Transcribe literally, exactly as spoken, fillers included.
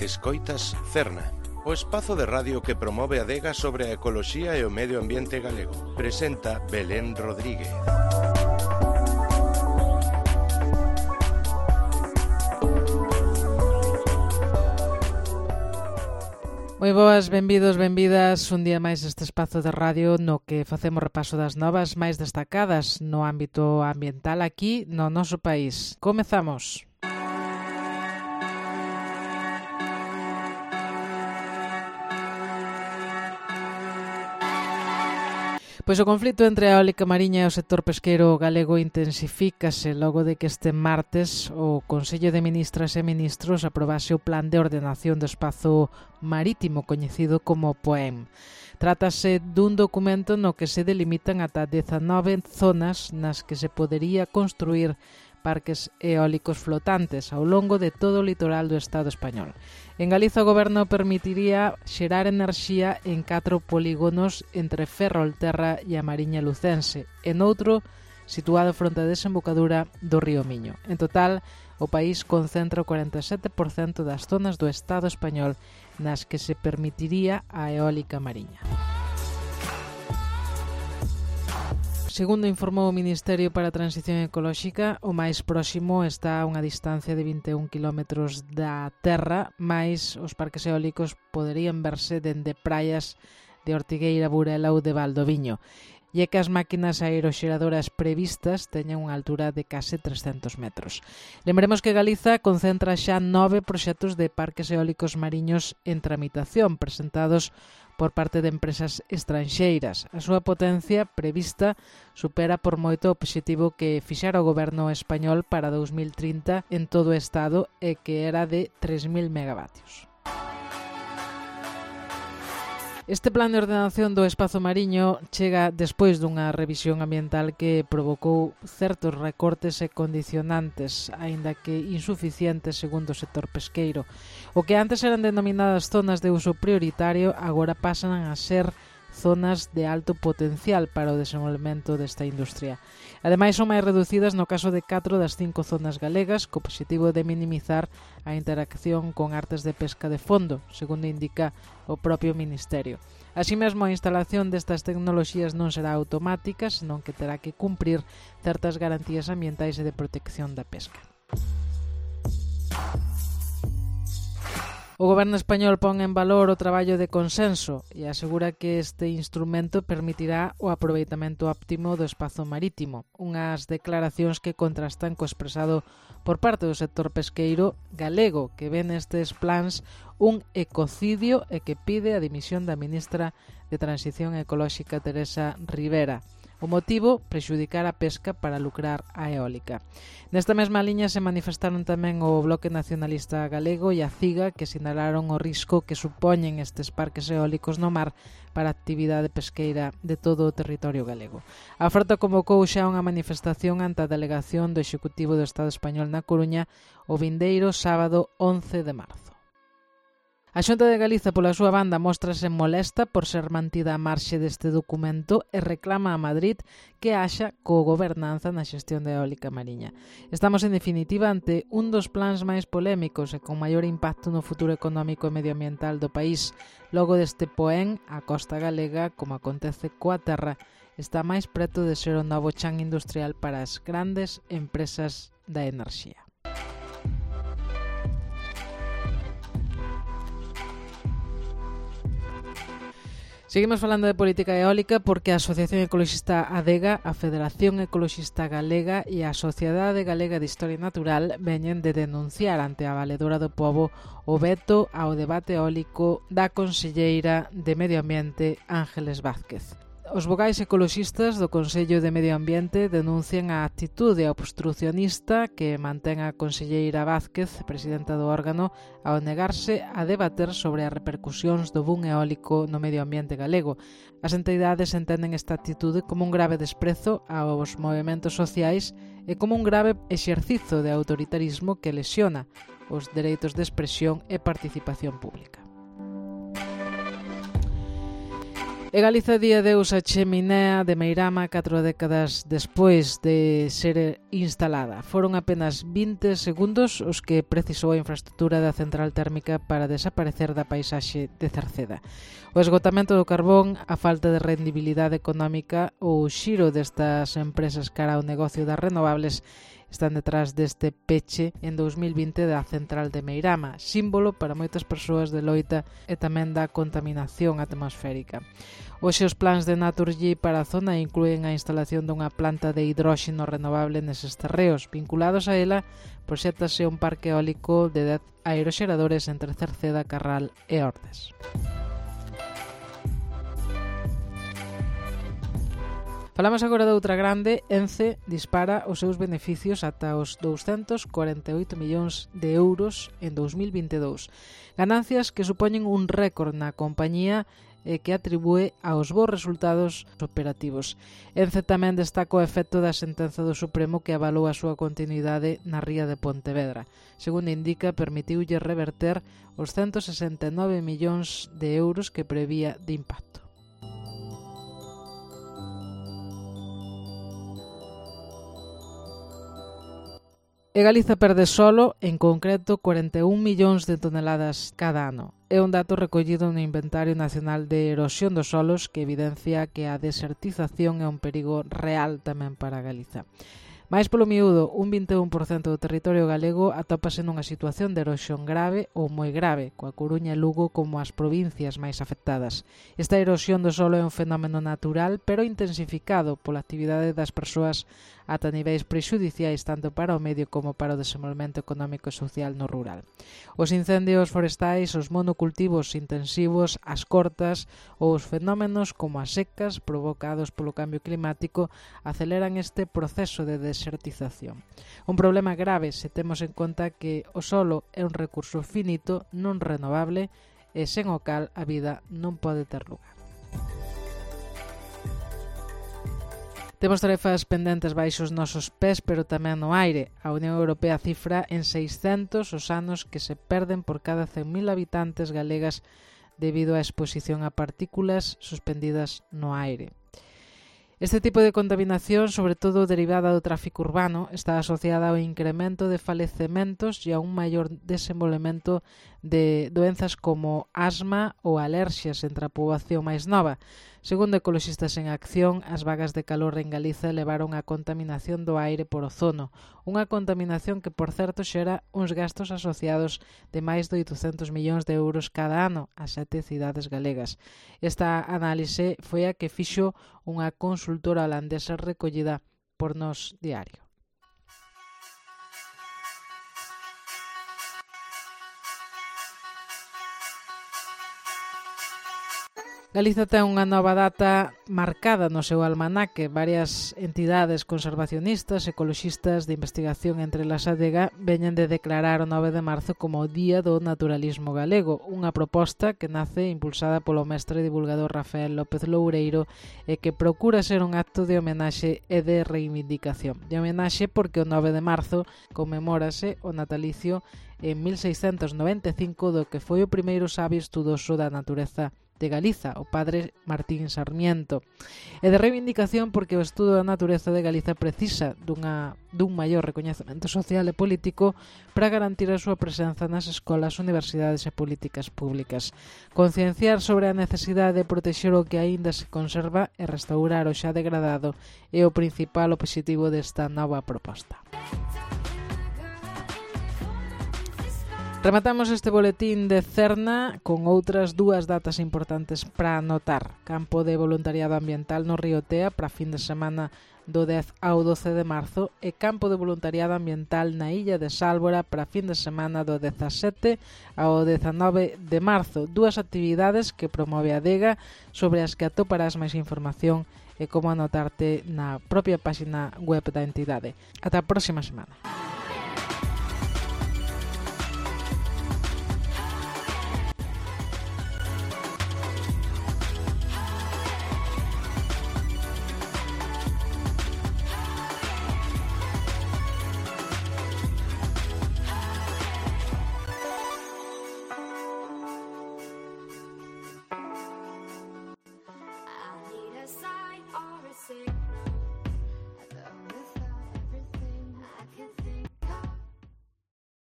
Escoitas Cerna, o espazo de radio que promove a adega sobre a ecoloxía e o medio ambiente galego. Presenta Belén Rodríguez. Moi boas, benvidos, benvidas un día máis este espazo de radio no que facemos repaso das novas máis destacadas no ámbito ambiental aquí no noso país. Comezamos. Pois o conflito entre a eólica mariña e o sector pesqueiro galego intensifícase logo de que este martes o Consello de Ministras e Ministros aprobase o Plan de Ordenación do Espazo Marítimo coñecido como POEM. Trátase dun documento no que se delimitan ata dezanove zonas nas que se podería construir parques eólicos flotantes ao longo de todo o litoral do Estado español. En Galiza o Goberno permitiría xerar enerxía en catro polígonos entre Ferrolterra e a Mariña Lucense, e noutro situado fronte á desembocadura do río Miño. En total, o país concentra o cuarenta e sete por cento das zonas do Estado español nas que se permitiría a eólica mariña. Segundo informou o Ministerio para a Transición Ecolóxica, o máis próximo está a unha distancia de vinte e un quilómetros da terra, mais os parques eólicos poderían verse dende praias de Ortigueira, Burela ou de Valdoviño, e é que as máquinas aeroxeradoras previstas teñen unha altura de case trescentos metros. Lembremos que Galiza concentra xa nove proxectos de parques eólicos mariños en tramitación, presentados por parte de empresas estranxeiras. A súa potencia prevista supera por moito o obxectivo que fixara o goberno español para dous mil trinta en todo o Estado e que era de tres mil megavatios. Este plan de ordenación do espazo mariño chega despois dunha revisión ambiental que provocou certos recortes e condicionantes, aínda que insuficientes segundo o sector pesqueiro. O que antes eran denominadas zonas de uso prioritario agora pasan a ser zonas de alto potencial para o desenvolvemento desta industria. Ademais, son máis reducidas no caso de catro das cinco zonas galegas, co obxectivo de minimizar a interacción con artes de pesca de fondo, segundo indica o propio Ministerio. Así mesmo, a instalación destas tecnoloxías non será automática, senón que terá que cumprir certas garantías ambientais e de protección da pesca. O Goberno español pon en valor o traballo de consenso e asegura que este instrumento permitirá o aproveitamento óptimo do espazo marítimo, unhas declaracións que contrastan co expresado por parte do sector pesqueiro galego, que ve nestes plans un ecocidio e que pide a dimisión da ministra de Transición Ecolóxica Teresa Rivera. O motivo, prexudicar a pesca para lucrar a eólica. Nesta mesma liña se manifestaron tamén o Bloque Nacionalista Galego e a CIGA, que sinalaron o risco que supoñen estes parques eólicos no mar para a actividade pesqueira de todo o territorio galego. A frota convocou xa unha manifestación ante a delegación do Executivo do Estado español na Coruña o vindeiro sábado once de marzo. A Xunta de Galiza, pola súa banda, móstrase molesta por ser mantida a marxe deste documento e reclama a Madrid que haxa cogobernanza na xestión da eólica mariña. Estamos, en definitiva, ante un dos plans máis polémicos e con maior impacto no futuro económico e medioambiental do país. Logo deste POEM, a costa galega, como acontece coa terra, está máis preto de ser o novo chan industrial para as grandes empresas da enerxía. Seguimos falando de política eólica porque a Asociación Ecoloxista Adega, a Federación Ecoloxista Galega e a Sociedade Galega de Historia Natural veñen de denunciar ante a Valedora do Pobo o veto ao debate eólico da conselleira de Medio Ambiente Ángeles Vázquez. Os vogais ecoloxistas do Consello de Medio Ambiente denuncian a actitude obstrucionista que mantén a conselleira Vázquez, presidenta do órgano, ao negarse a debater sobre as repercusións do boom eólico no medio ambiente galego. As entidades entenden esta actitude como un grave desprezo aos movementos sociais e como un grave exercizo de autoritarismo que lesiona os dereitos de expresión e participación pública. E Galiza di adeus a cheminea de Meirama catro décadas despois de ser instalada. Foron apenas vinte segundos os que precisou a infraestructura da central térmica para desaparecer da paisaxe de Cerceda. O esgotamento do carbón, a falta de rendibilidade económica ou o xiro destas empresas cara ao negocio das renovables están detrás deste peche en dous mil vinte da central de Meirama, símbolo para moitas persoas de loita e tamén da contaminación atmosférica. Hoxe os plans de Naturgy para a zona incluen a instalación dunha planta de hidróxeno renovable neses terreos. Vinculados a ela, proxéctase un parque eólico de dez aeroxeradores entre Cerceda, Carral e Ordes. Falamos agora de outra grande. Ence dispara os seus beneficios ata os douscentos corenta e oito millóns de euros en dous mil vinte e dous. Ganancias que supoñen un récord na compañía e que atribúe aos bons resultados operativos. Ence tamén destaca o efecto da sentenza do Supremo que avalou a súa continuidade na ría de Pontevedra. Segundo indica, permitiulle reverter os ciento sesenta e nove millóns de euros que prevía de impacto. E Galiza perde solo, en concreto, corenta e un millóns de toneladas cada ano. É un dato recollido no Inventario Nacional de Erosión dos Solos que evidencia que a desertización é un perigo real tamén para Galiza. Mais polo miúdo, un vinte e un por cento do territorio galego atópase nunha situación de erosión grave ou moi grave, coa Coruña e Lugo como as provincias máis afectadas. Esta erosión do solo é un fenómeno natural, pero intensificado pola actividade das persoas ata niveis prexudiciais tanto para o medio como para o desenvolvemento económico e social no rural. Os incendios forestais, os monocultivos intensivos, as cortas ou os fenómenos como as secas provocados polo cambio climático aceleran este proceso de desertización. Un problema grave se temos en conta que o solo é un recurso finito, non renovable e sen o cal a vida non pode ter lugar. Temos tarefas pendentes baixo os nosos pés, pero tamén no aire. A Unión Europea cifra en seiscentos os anos que se perden por cada cen mil habitantes galegas debido á exposición a partículas suspendidas no aire. Este tipo de contaminación, sobre todo derivada do tráfico urbano, está asociada ao incremento de falecementos e a un maior desenvolvemento de doenzas como asma ou alerxias entre a poboación máis nova. Segundo Ecoloxistas en Acción, as vagas de calor en Galiza levaron a contaminación do aire por ozono, unha contaminación que, por certo, xera uns gastos asociados de máis de oitocentos millóns de euros cada ano a sete cidades galegas. Esta análise foi a que fixo unha consultora holandesa recollida por Nós Diario. Galiza ten unha nova data marcada no seu almanaque. Varias entidades conservacionistas, ecoloxistas de investigación entre las A D E G A veñen de declarar o nove de marzo como o Día do Naturalismo Galego, unha proposta que nace impulsada polo mestre divulgador Rafael López Loureiro e que procura ser un acto de homenaxe e de reivindicación. De homenaxe porque o nove de marzo conmemórase o natalicio en mil seiscentos noventa e cinco do que foi o primeiro sabio estudoso da natureza de Galiza, o padre Martín Sarmiento. E de reivindicación porque o estudo da natureza de Galiza precisa dunha, dun maior recoñecemento social e político para garantir a súa presenza nas escolas, universidades e políticas públicas. Concienciar sobre a necesidade de protexer o que aínda se conserva e restaurar o xa degradado é o principal obxectivo desta nova proposta. Rematamos este boletín de Cerna con outras dúas datas importantes para anotar. Campo de voluntariado ambiental no Río Tea para fin de semana do dez ao doce de marzo e campo de voluntariado ambiental na illa de Sálvora para fin de semana do dezasete ao dezanove de marzo. Dúas actividades que promove a Adega sobre as que atoparás máis información e como anotarte na propia página web da entidade. Ata a próxima semana.